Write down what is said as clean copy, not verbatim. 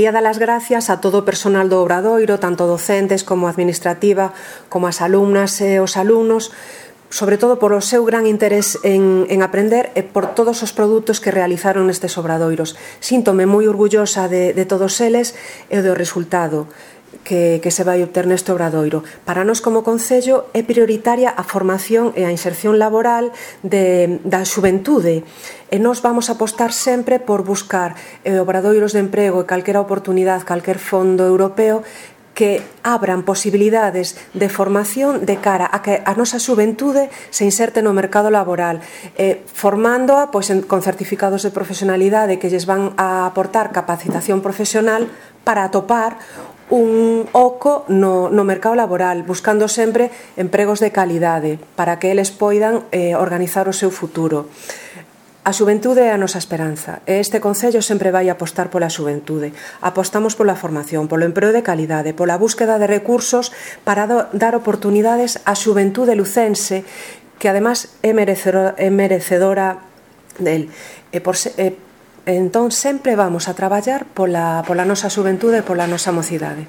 Quería dar as gracias a todo o personal do Obradoiro, tanto docentes como administrativa, como as alumnas e os alumnos, sobre todo por o seu gran interés en aprender e por todos os produtos que realizaron nestes obradoiros. Síntome moi orgullosa de todos eles e do resultado que se vai obter neste obradoiro. Para nós como Concello é prioritaria a formación e a inserción laboral da xuventude e nós vamos apostar sempre por buscar obradoiros de emprego e calquera oportunidade, calquer fondo europeo que abran posibilidades de formación de cara a que a nosa xuventude se inserte no mercado laboral, formándoa con certificados de profesionalidade que lles van a aportar capacitación profesional para atopar un oco no mercado laboral, buscando sempre empregos de calidade para que eles poidan organizar o seu futuro. A xuventude é a nosa esperanza e este Concello sempre vai apostar pola xuventude. Apostamos pola formación, polo emprego de calidade, pola búsqueda de recursos para dar oportunidades á xuventude lucense que además é merecedora del. Entón sempre vamos a traballar pola nosa xuventude e pola nosa mocidade.